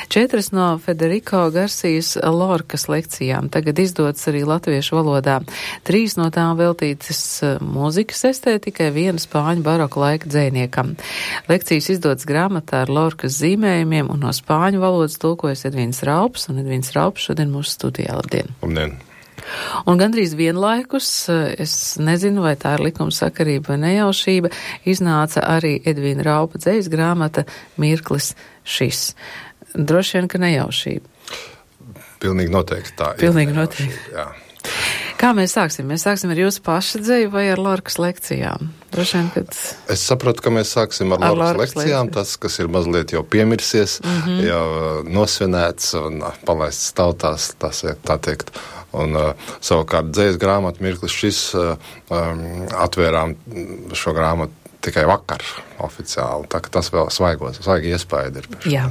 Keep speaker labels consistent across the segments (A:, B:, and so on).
A: 4 no Federico Garcijas Lorkas lekcijām tagad izdodas arī latviešu valodā. 3 no tām veltītas mūzikas estētikai, 1 spāņu baroka laika dzejniekam. Lekcijas izdodas grāmatā ar Lorkas zīmējumiem un no spāņu valodas tulkojas Edvīns Raups, un Edvīns Raups šodien mūsu studijā. Labdien!
B: Labdien!
A: Un gandrīz vienlaikus, es nezinu, vai tā ir likumsakarība vai nejaušība, iznāca arī Edvīna Raupa dzejas grāmata Mirklis šis. Droši vien, ka nejaušība.
B: Pilnīgi noteikti tā ir.
A: Pilnīgi noteikti.
B: Jā.
A: Kā mēs sāksim? Mēs sāksim ar jūsu paša dzeju vai ar Lorkas lekcijām? Droši vien, kad...
B: Es saprotu, ka mēs sāksim ar Lorkas lekcijām. Tas, kas ir mazliet jau piemirsies, jau nosvinēts un palaists tautās, tā teikt. Un savukārt dzejas grāmatu Mirklis šis atvērām šo grāmatu tikai vakar oficiāli, tā ka tas vēl svaigi iespaidi ir.
A: Jā.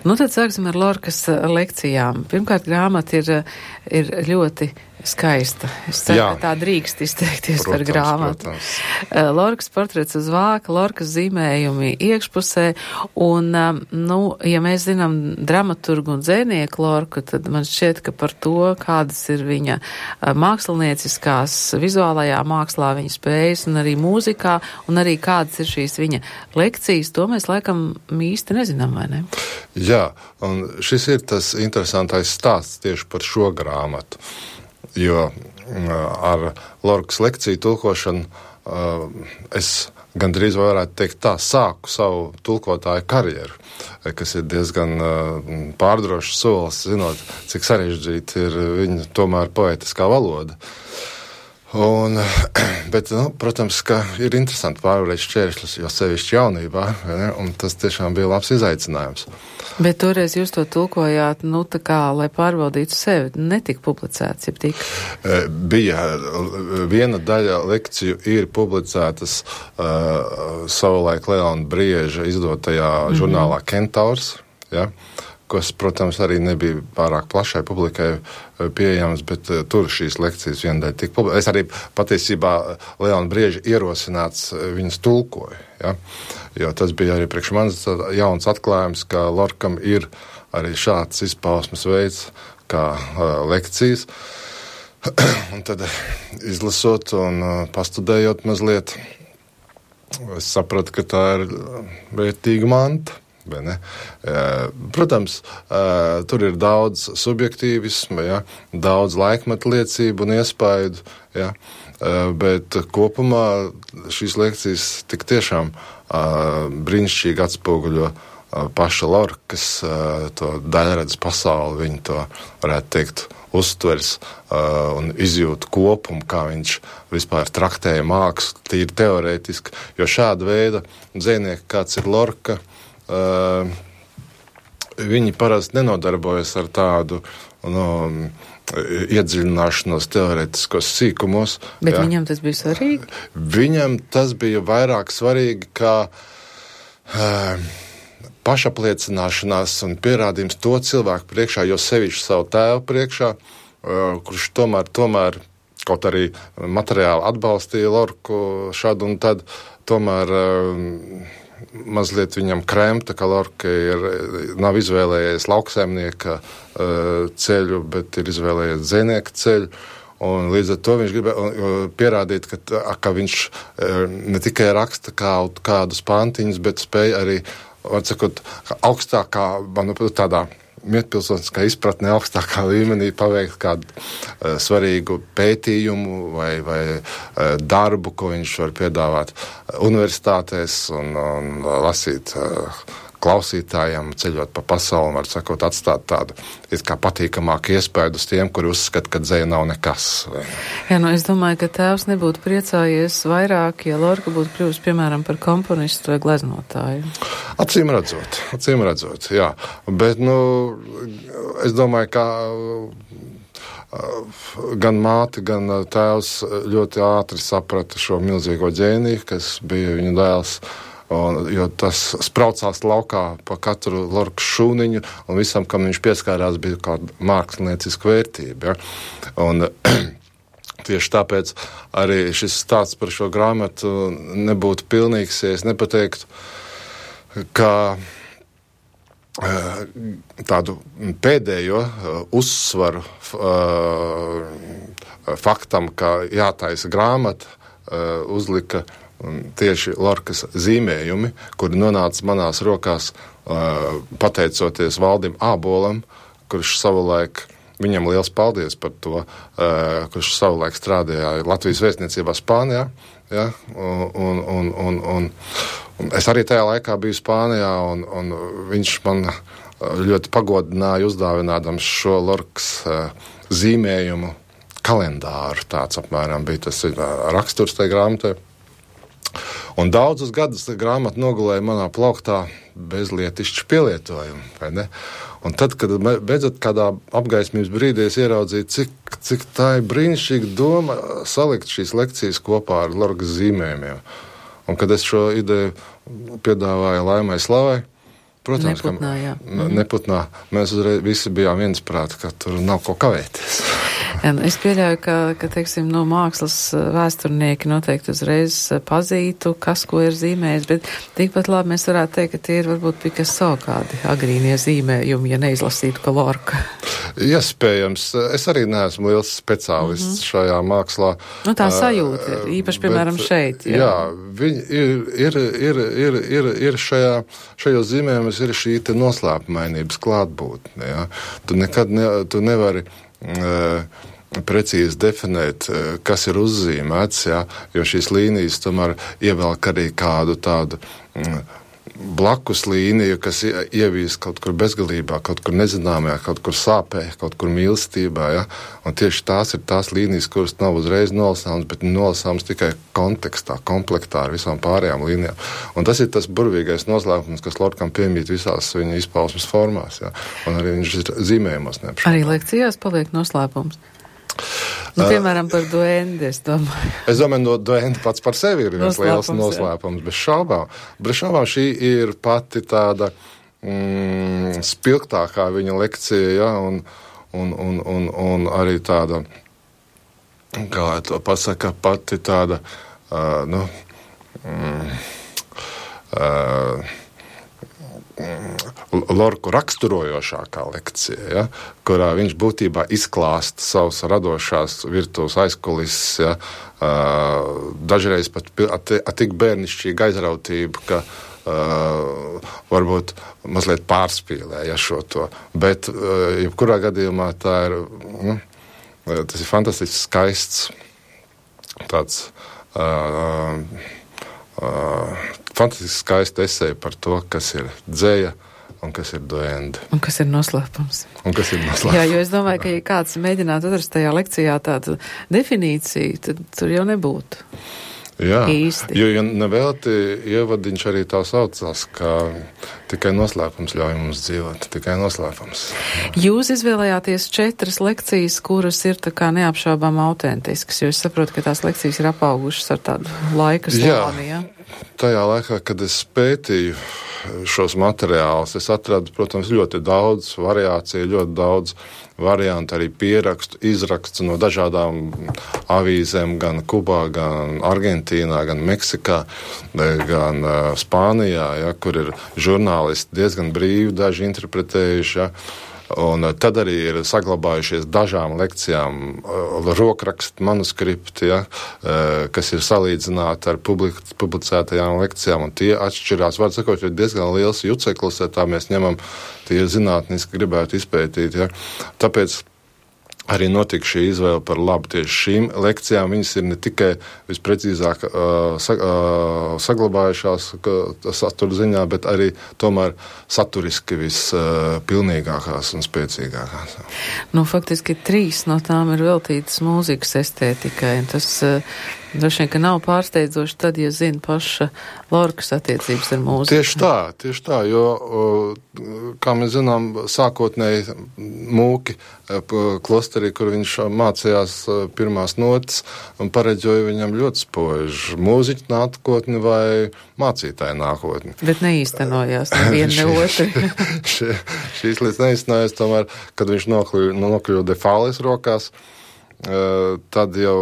A: Nu tad sāksim ar Lorkas lekcijām. Pirmkārt, grāmata ir ļoti skaista. Es ceru, ka tā drīkst izteikties par grāmatu. Lorkas portrets uz vāka, Lorkas zīmējumi iekšpusē, un, ja mēs zinām dramaturgu un dzejnieku Lorku, tad man šķiet, ka par to, kādas ir viņa mākslinieciskās, vizuālajā mākslā viņa spējas, un arī mūzikā, un arī kādas ir šīs viņa lekcijas, to mēs laikam īsti nezinām, vai ne?
B: Jā, un šis ir tas interesantais stāsts tieši par šo grāmatu. Jo ar Lorkas lekciju tulkošanu es gandrīz varētu teikt tā, sāku savu tulkotāju karjeru, kas ir diezgan pārdrošs solis, zinot, cik sarežģīta ir viņa tomēr poetiskā valoda. Bet, protams, ka ir interesanti pārvarēt šķēršļus, jo sevišķi jaunībā, un tas tiešām bija labs izaicinājums.
A: Bet toreiz jūs to tulkojāt, tā kā, lai pārbaudītu sevi, netika publicēts, ja tik?
B: Bija viena daļa lekciju ir publicētas savulaik Leona Brieža izdotajā žurnālā Kentaurs, ja, kas, protams, arī nebija pārāk plašai publikai pieejams, bet tur šīs lekcijas viena daļa tika publicētas. Es arī patiesībā Leona Brieža ierosināts viņas tulkoju, ja? Jo tas bija arī priekš manis jauns atklājums, ka Lorkam ir arī šāds izpausmes veids kā lekcijas. Un tad izlasot un pastudējot mazliet, es sapratu, ka tā ir vērtīga manta. Protams, tur ir daudz subjektīvisma, ja, daudz laikmetu liecību un iespaidu, ja, bet kopumā šīs lekcijas tik tiešām brīnišķīgi atspoguļo paša Lorkas to daļredzes pasauli, viņa to, varētu teikt, uztvers un izjūt kopumu, kā viņš vispār traktēja mākslu, tīri teorētiski, jo šāda veida dzejnieki, kāds ir Lorka, viņi parasti nenodarbojas ar tādu iedziļināšanos teorētiskos sīkumos.
A: Bet viņam tas bija svarīgi?
B: Viņam tas bija vairāk svarīgi kā pašapliecināšanās un pierādījums to cilvēku priekšā, jo sevišķi savu tēvu priekšā, kurš tomēr kaut arī materiāli atbalstīja Lorku šādu un tad, tomēr mazliet viņam kremta, ka Lorka nav izvēlējies lauksaimnieka ceļu, bet ir izvēlējies dzejnieka ceļu. Un līdz ar to viņš gribēja pierādīt, ka viņš ne tikai raksta kādus pantiņus, bet spēja arī, var sakot, augstākā, tādā mietpilsoniskā izpratnē augstākā līmenī paveikt kādu svarīgu pētījumu vai darbu, ko viņš var piedāvāt universitātēs un lasīt klausītājiem, ceļot pa pasauli, var sakot, atstāt tādu kā patīkamāku iespēju uz tiem, kuri uzskata, ka dzeja nav nekas.
A: Jā, es domāju, ka tēvs nebūtu priecājies vairāk, ja Lorka būtu kļuvusi, piemēram, par komponistu vai gleznotāju.
B: Acīm redzot, jā. Bet, es domāju, ka gan māte, gan tēvs ļoti ātri saprata šo milzīgo ģēniju, kas bija viņa dēls, jo tas spraucās laukā pa katru Lorkas šūniņu, un visam, kam viņš pieskārās, bija kāda mākslinieciska vērtība. Ja? Un tieši tāpēc arī šis stāsts par šo grāmatu nebūtu pilnīgs, ja es nepateiktu, ka tādu pēdējo uzsvaru faktam, ka jātaisa grāmata, uzlika tieši Lorkas zīmējumi, kuri nonāca manās rokās pateicoties Valdim Ābolam, kurš savulaik, viņam liels paldies par to, kurš savulaik strādāja Latvijas vēstniecībā Spānijā, ja, un es arī tajā laikā biju Spānijā, un viņš man ļoti pagodināja uzdāvinādams šo Lorkas zīmējumu kalendāru. Tāds apmēram bija tas raksturs tai grāmatai. Un daudzus gadus grāmata nogulēja manā plauktā bez lietišķu pielietojumu, vai ne? Un tad, kad beidzot kādā apgaismības brīdī es ieraudzīju, cik tā ir brīnišķīga doma salikt šīs lekcijas kopā ar Lorkas zīmējumiem. Un kad es šo ideju piedāvāju Laimai Slavai, protams, Neputnā, mēs uzreiz visi bijām viensprāti, ka tur nav ko kavēties.
A: Es pieļauju, ka teiksim, mākslas vēsturnieki noteikti uzreiz pazītu, kas ko ir zīmējis, bet tikpat labi mēs varētu teikt, ka tie ir varbūt Picasso kādi agrīnie zīmējumi, ja neizlasītu, ka Lorka.
B: Iespējams. Es arī neesmu liels speciālists šajā mākslā.
A: Tā sajūta ir, īpaši, piemēram, šeit.
B: Jā, viņi ir šajos zīmējumos ir šī te noslēpumainības klātbūtne. Ja? Tu nevari precīzi definēt, kas ir uzzīmēts, ja? Jo šīs līnijas tomēr ievelk arī kādu tādu blakus līniju, kas ievīs kaut kur bezgalībā, kaut kur nezināmajā, kaut kur sāpē, kaut kur mīlestībā, ja? Un tieši tās ir tās līnijas, kuras nav uzreiz nolasāmas, bet nolasāmas tikai kontekstā, komplektā ar visām pārējām līnijām. Un tas ir tas burvīgais noslēpums, kas Lorkam piemīt visās viņa izpausmes formās, ja? Un arī viņš ir zīmējumos neapšaubāms.
A: Arī lekcijās paliek noslēpums. Piemēram, par duendi, es domāju.
B: Es domāju, no duendi pats par sevi ir viens liels noslēpums, bez šaubām. Bez šaubām šī ir pati tāda spilgtākā viņa lekcija, ja, un arī tāda, kā to pasaka, pati tāda, Lorku raksturojošākā lekcija, ja, kurā viņš būtībā izklāsta savus radošās virtuves aizkulises, ja, dažreiz pat tik bērnišķīga aizrautība, ka varbūt mazliet pārspīlēja šo to. Bet, jebkurā gadījumā tā ir, tas ir fantastiski skaists tāds fantastiski skaisti esēja par to, kas ir dzēja un kas ir duendi.
A: Un kas ir noslēpums.
B: Jā,
A: jo es domāju, ka ja kāds mēģinātu atrast tajā lekcijā tādu definīciju, tad tur jau nebūtu.
B: Jā,
A: īsti.
B: Jo nevelti ievadiņš arī tā saucās, ka tikai noslēpums ļauj mums dzīvot, tikai noslēpums.
A: Jūs izvēlējāties 4 lekcijas, kuras ir tā kā neapšaubām autentiskas, jo es saprotu, ka tās lekcijas ir apaugušas ar tādu laika slāni, ja?
B: Tajā laikā, kad es pētīju šos materiālus, es atradu, protams, ļoti daudz variāciju, ļoti daudz variantu, arī pierakstu, izrakstu no dažādām avīzēm, gan Kubā, gan Argentīnā, gan Meksikā, gan Spānijā, ja, kur ir žurnālisti diezgan brīvi daži interpretējuši, ja. Un tad arī ir saglabājušies dažām lekcijām rokrakstu manuskripti, ja, kas ir salīdzināti ar publicētajām lekcijām, un tie atšķirās. Var sakot, ir diezgan liels juceklis, ja tā mēs ņemam, tie zinātniski gribētu izpētīt. Ja. Tāpēc arī notika šī izvēle par labu tieši šīm lekcijām. Viņas ir ne tikai visprecīzāk saglabājušās satura ziņā, bet arī tomēr saturiski vispilnīgākās un spēcīgākās.
A: Faktiski 3 no tām ir veltītas mūzikas estētikai. Tas droši vien, ka nav pārsteidzoši tad, ja zina paša Lorkas attiecības ar mūziku.
B: Tieši tā, jo, kā mēs zinām, sākotnēji mūki klosterī, kur viņš mācījās pirmās notas un pareģoja viņam ļoti spoži mūziķu nākotni vai mācītāju nākotni.
A: Bet neīstenojās neviena ne otri.
B: Šīs lietas neīstenojās, tomēr, kad viņš nokļuva Defales rokās, tad jau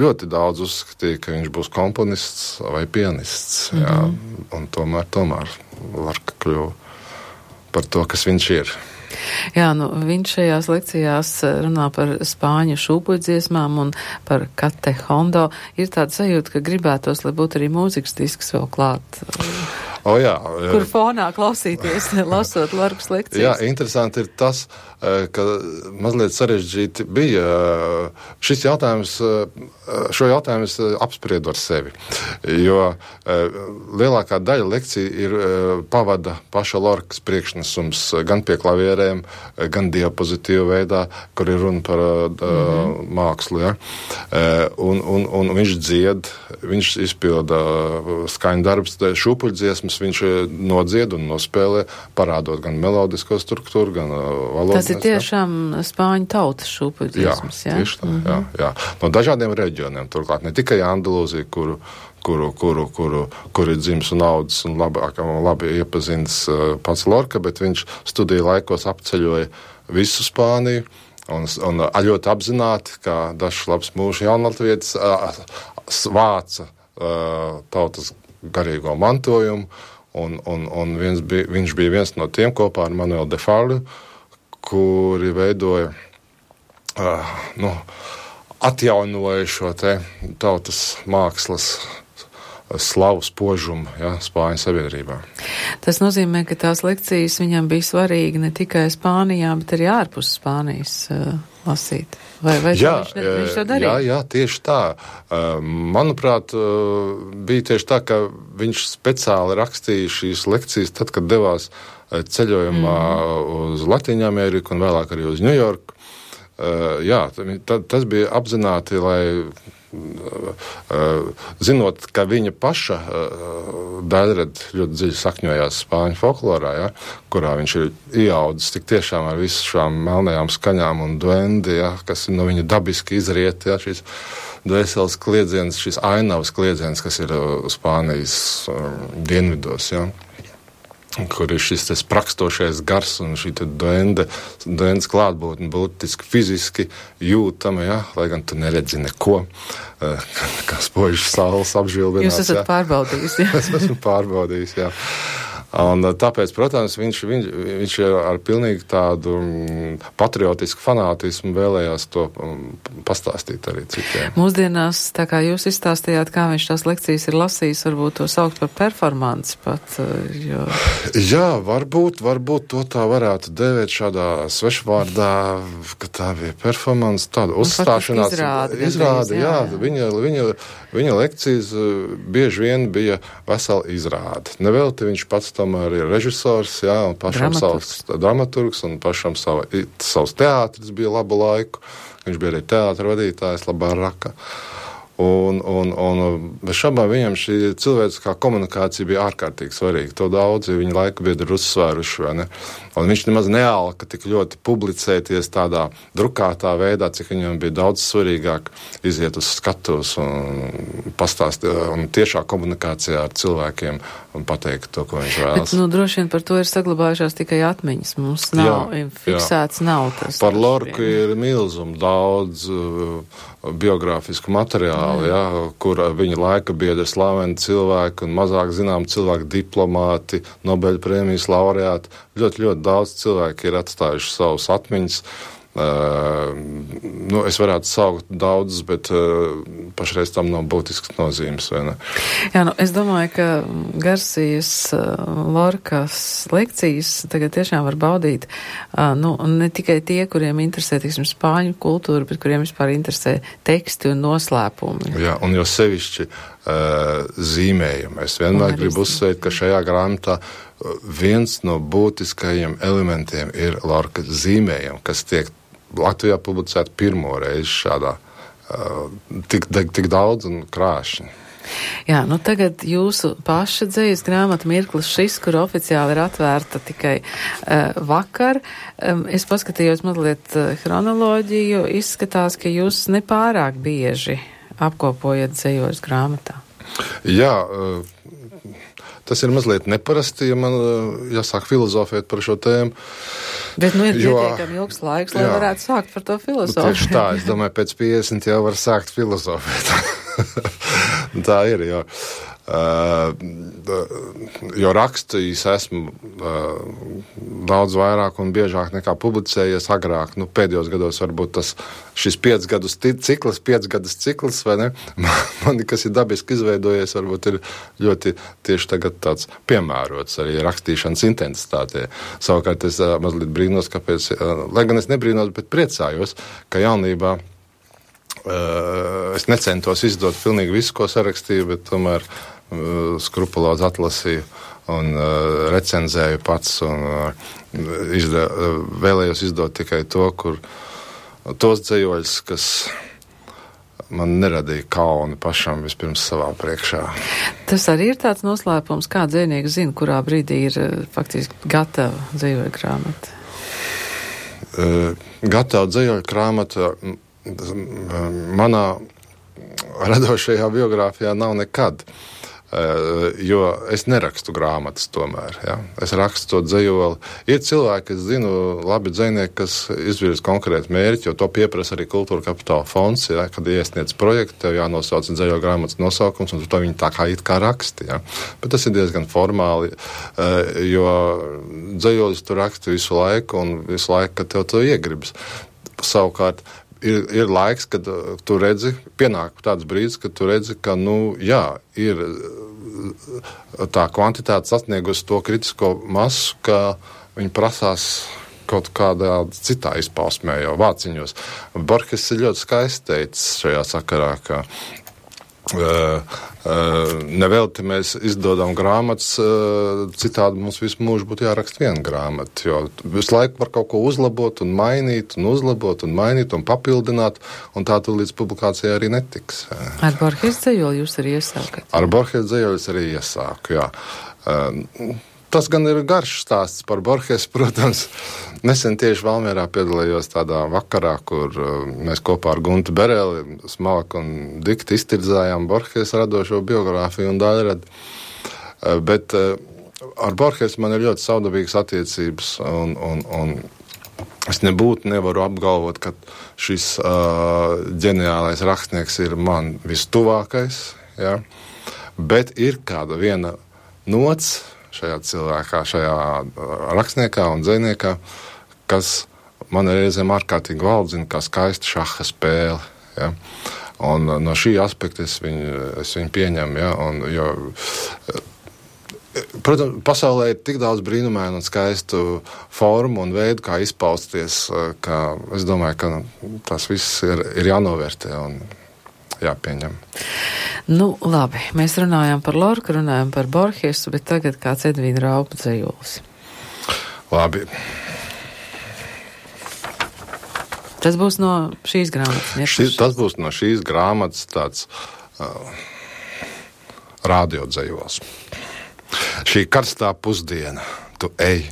B: ļoti daudz uzskatīja, ka viņš būs komponists vai pianists. Jā, un tomēr Lorka kļuva par to, kas viņš ir.
A: Jā, viņš šajās lekcijās runā par spāņu šūpuļdziesmām un par Kate Hondo. Ir tāda sajūta, ka gribētos, lai būtu arī mūzikas disks vēl klāt.
B: Jā.
A: Kur fonā klausīties, lasot Lorkas lekcijas.
B: Jā, interesanti ir tas, ka mazliet sarežģīti bija šis jautājums, šo jautājumu es apspriedu ar sevi, jo lielākā daļa lekcija ir pavada paša Lorkas priekšnesums gan pie klavierēm, gan diapozitīvu veidā, kur ir runa par mākslu, ja? Un viņš dzied, viņš izpilda skaņu darbs, šūpuļdziesmas, viņš nodzied un nospēlē, parādot gan melodisko struktūru, gan valodu.
A: Tas ir tiešām spāņu tautas šūpuļdziesmas, jā?
B: Tieši tā, jā. No dažādiem reģioniem, turklāt ne tikai Andalūzija, kur ir dzimis un audzis un labi iepazins pats Lorka, bet viņš studiju laikos apceļoja visu Spāniju un ļoti apzināti, kā dažs labs mūžu jaunatvietis, vāca tautas garīgo mantojumu, un viņš bija viens no tiem kopā ar Manuelu de Falla, kuri veidoja, atjaunoja šo te tautas mākslas slavu spožumu, Spāņu sabiedrībā.
A: Tas nozīmē, ka tās lekcijas viņam bija svarīgi ne tikai Spānijā, bet arī ārpus Spānijas lasīt. Vai viņš to darīja?
B: Jā, tieši tā. Manuprāt, bija tieši tā, ka viņš speciāli rakstīja šīs lekcijas tad, kad devās ceļojumā uz Latīņu Ameriku un vēlāk arī uz Ņujorku. Tas bija apzināti, lai zinot, ka viņa paša daļrad ļoti dziļi sakņojās spāņu folklorā, kurā viņš ir ieaudzis tik tiešām ar visu šām melnajām skaņām un duendi, kas no viņa dabiski izriet, šīs dvēseles kliedziens, šīs ainavas kliedziens, kas ir Spānijas dienvidos, kur ir šis sprakstošais gars un šī duendes klātbūtne būtiski fiziski jūtama, lai gan tu neredzi neko, kā spožas saules apžilbinās.
A: Jūs esat pārbaudījis, jā?
B: Es esmu pārbaudījis, jā. Un tāpēc, protams, viņš ar pilnīgi tādu patriotisku fanātismu vēlējās to pastāstīt arī citiem.
A: Mūsdienās, tā kā jūs izstāstījāt, kā viņš tās lekcijas ir lasījis, varbūt to saukt par performanci pat, jo...
B: Jā, varbūt to tā varētu dēvēt šādā svešvārdā, ka tā bija performance, tāda uzstāšanās. Izrāde, jā. Viņa lekcijas bieži vien bija vesela izrāde. Nevelti viņš pats tomēr ir režisors, un pašam savs dramaturgs, un pašam savs teātris bija labu laiku. Viņš bija arī teātra vadītājs, labā raka. Un bez šabām viņam šī cilvēciskā komunikācija bija ārkārtīgi svarīga. To daudzi viņa laika biedri ir uzsvēruši, vai ne? Un viņš nemaz nealka tik ļoti publicēties tādā drukātā veidā, cik viņam bija daudz svarīgāk iziet uz skatuves un pastāstīt, un tiešā komunikācijā ar cilvēkiem un pateikt to, ko viņš vēlas.
A: Bet, droši vien par to ir saglabājušās tikai atmiņas. Mums nav fiksēts, nav tas.
B: Par Lorku ir milzum daudz biogrāfisku materiālu, kur viņa laika biedri slaveni cilvēki un mazāk zinām cilvēki, diplomāti, Nobeļa prēmijas laureāti. Ļoti daudz cilvēki ir atstājuši savus atmiņas. Es varētu saukt daudzus, bet pašreiz tam nav būtisks nozīmes, vai ne?
A: Jā, es domāju, ka Garsijas Lorkas lekcijas tagad tiešām var baudīt, ne tikai tie, kuriem interesē, spāņu kultūra, bet kuriem vispār interesē teksti un noslēpumi. Jā,
B: un jo sevišķi zīmējumi. Es vienmēr gribu uzsvērt, ka šajā grāmatā viens no būtiskajiem elementiem ir Lorkas zīmējumi, kas tiek Latvijā publicēta pirmo reizi šādā tik daudz un krāšņi.
A: Jā, tagad jūsu paša dzejas grāmata Mirklis šis, kur oficiāli ir atvērta tikai vakar. Es paskatījos mazliet chronoloģiju, izskatās, ka jūs nepārāk bieži apkopojat dzejos grāmatā.
B: Jā, tas ir mazliet neparasti, ja man jāsāk filozofēt par šo tēmu.
A: Bet ir pietiekami ilgs laiks, lai varētu sākt par to filozofēt.
B: Tieši tā, es domāju, pēc 50 jau var sākt filozofēt. Tā ir, jo Jo rakstījis esmu daudz vairāk un biežāk nekā publicējies agrāk. Pēdējos gados varbūt šis 5 gadus cikls, vai ne? Man, kas ir dabiski izveidojies, varbūt ir ļoti tieši tagad tāds piemērots arī rakstīšanas intensitātē. Savukārt es mazliet brīnos, kāpēc, lai gan es nebrīnos, bet priecājos, ka jaunībā es necentos izdot pilnīgi visu, ko sarakstīju, bet tomēr skrupulozi atlasīju un recenzēju pats un vēlējos izdot tikai tos dzējoļus, kas man neradīja kauni pašam vispirms savā priekšā.
A: Tas arī ir tāds noslēpums, kā dzējnieks zina, kurā brīdī ir faktiski gatava dzējoļu grāmata?
B: Gatava dzējoļu grāmata manā radošajā biogrāfijā nav nekad. Jo es nerakstu grāmatas tomēr. Ja? Es rakstu to dzejoli. Ir cilvēki, kas zinu, labi dzejnieki, kas izvirz konkrētu mērķi, jo to pieprasa arī Kultūra Kapitāla fonds, ja? Kad iesniedz projektu, tev jānosauc dzejoli grāmatas nosaukums, un to viņi tā kā it kā raksti. Ja? Bet tas ir diezgan formāli, jo dzejolis tu raksti visu laiku, un visu laiku, kad tev to iegribas. Savukārt, ir laiks, kad tu redzi, pienāk tāds brīdis, kad tu redzi, ka, ir tā kvantitāte sasniegusi to kritisko masu, ka viņi prasās kaut kādā citā izpausmē, jau vāciņos. Borges ir ļoti skaisti teicis šajā sakarā, ka nevelti mēs izdodam grāmatas, citādi mums visu mūžu būtu jāraksta viena grāmata, jo visu laiku var kaut ko uzlabot un mainīt, un uzlabot un mainīt un papildināt, un tā tu līdz publikācijai arī netiks.
A: Ar Borges dzejoli jūs arī iesākat?
B: Ar Borges dzejoli arī iesāku, jā. Tas gan ir garš stāsts par Borges, protams. Nesen tieši Valmierā piedalījos tādā vakarā, kur mēs kopā ar Guntu Bereli smalki un dikti iztirzājām Borges radošo biogrāfiju un daļradi. Bet ar Borges man ir ļoti saudabīgas attiecības, un es nevaru apgalvot, ka šis ģeniālais rakstnieks ir man vistuvākais, ja? Bet ir kāda viena nots šajā cilvēkā, šajā rakstniekā un dzejniekā, kas man reizēm ārkārtīgi valdzina kā skaista šaha spēle. Ja? Un no šī aspekta es viņu pieņemu. Ja? Protams, pasaulē ir tik daudz brīnumainu un skaistu formu un veidu, kā izpausties, ka es domāju, ka tas viss ir jānovērtē un jāpieņem.
A: Labi, mēs runājām par Lorku, runājām par Borgesu, bet tagad kāds Edvīna Raupa dzejolis.
B: Labi.
A: Tas būs no šīs grāmatas.
B: Tas būs no šīs grāmatas tāds rādiodzējols. Šī karstā pusdiena, tu ej,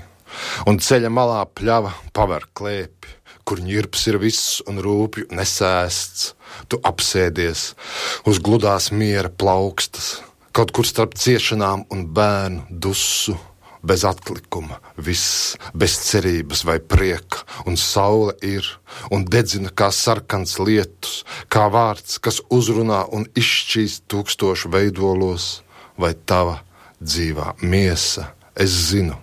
B: un ceļa malā pļava paver klēpi, kur ņirps ir viss un rūpju nesēsts. Tu apsēdies uz gludās miera plaukstas, kaut kur starp ciešanām un bērnu dusu, bez atlikuma, viss, bez cerības vai prieka, un saule ir, un dedzina kā sarkans lietus, kā vārds, kas uzrunā un izšķīst tūkstošu veidolos, vai tava dzīvā miesa, es zinu,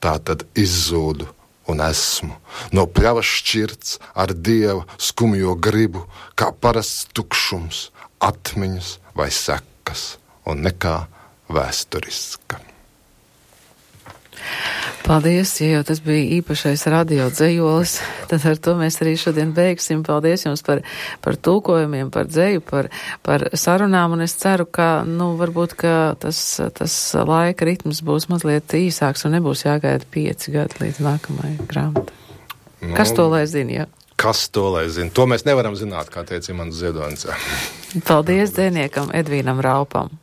B: tā tad izzūdu un esmu, no pļavas šķirts ar Dieva skumjo gribu, kā parasts tukšums, atmiņas vai sekas, un nekā vēsturiska.
A: Paldies, ja jau tas bija īpašais radio dzejolis, tad ar to mēs arī šodien beigsim. Paldies jums par tulkojumiem, par dzeju, par sarunām, un es ceru, ka, varbūt, ka tas laika ritms būs mazliet īsāks un nebūs jāgaida 5 gadi līdz nākamajai grāmatai. Kas to lai zina, jā?
B: Kas to lai zina? To mēs nevaram zināt, kā teica Imants Ziedonis.
A: Paldies dzejniekam Edvīnam Raupam.